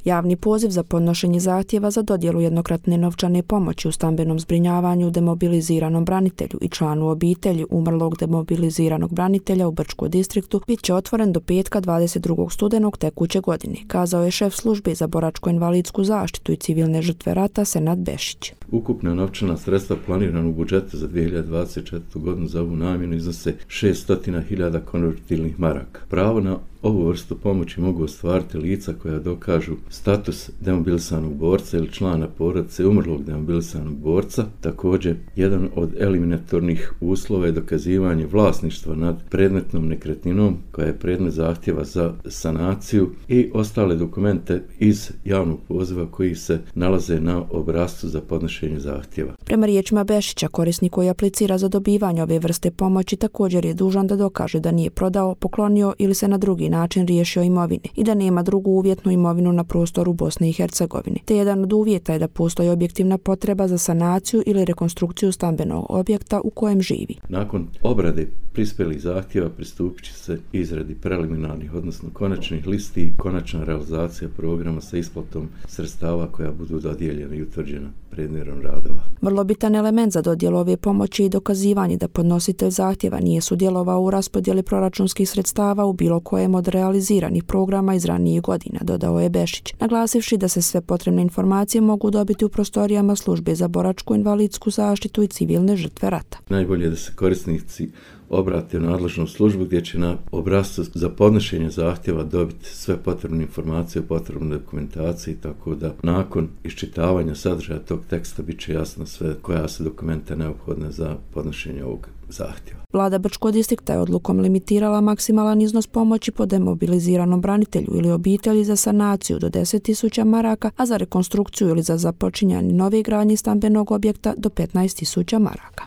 Javni poziv za podnošenje zahtjeva za dodjelu jednokratne novčane pomoći u stambenom zbrinjavanju demobiliziranom branitelju i članu obitelji umrlog demobiliziranog branitelja u Brčkom distriktu bit će otvoren do petka 22. studenog tekuće godine, kazao je šef službe za boračko-invalidsku zaštitu i civilne žrtve rata Senad Bešić. Ukupna novčana sredstva planirana u budžetu za 2024. godinu za ovu namjenu iznose 600.000 konvertibilnih maraka. Pravo na ovu vrstu pomoći mogu ostvariti lica koja dokažu status demobilisanog borca ili člana porodice umrlog demobilisanog borca. Također, jedan od eliminatornih uslova je dokazivanje vlasništva nad predmetnom nekretninom koja je predmet zahtjeva za sanaciju i ostale dokumente iz javnog poziva koji se nalaze na obrascu za podnošenje zahtjeva. Prema riječima Bešića, korisnik koji aplicira za dobivanje ove vrste pomoći također je dužan da dokaže da nije prodao, poklonio ili se na drugi način riješio imovine i da nema drugu uvjetnu imovinu na prostoru Bosne i Hercegovine. Te jedan od uvjeta je da postoji objektivna potreba za sanaciju ili rekonstrukciju stambenog objekta u kojem živi. Nakon obrade prispjelih zahtjeva pristupit će se izradi preliminarnih, odnosno konačnih listi i konačna realizacija programa sa isplatom sredstava koja budu dodijeljena i utvrđena predmerom radova. Vrlo bitan element za dodjelu ove pomoći i dokazivanje da podnositelj zahtjeva nije sudjelovao u raspodjeli proračunskih sredstava u bilo kojem od realiziranih programa iz ranijih godina, dodao je Bešić, naglasivši da se sve potrebne informacije mogu dobiti u prostorijama službe za boračko-invalidsku zaštitu i civilne žrtve rata. Najbolje je da se korisnici obrate u nadležnu službu gdje će na obrascu za podnošenje zahtjeva dobiti sve potrebne informacije o potrebnoj dokumentaciji, tako da nakon iščitavanja sadržaja tog teksta bit će jasno sve koja su dokumenta neophodna za podnošenje ovog zahtjeva. Vlada Brčkog distrikta je odlukom limitirala maksimalan iznos pomoći po demobiliziranom branitelju ili obitelji za sanaciju do 10.000 maraka, a za rekonstrukciju ili za započinjanje nove gradnje stambenog objekta do 15.000 maraka.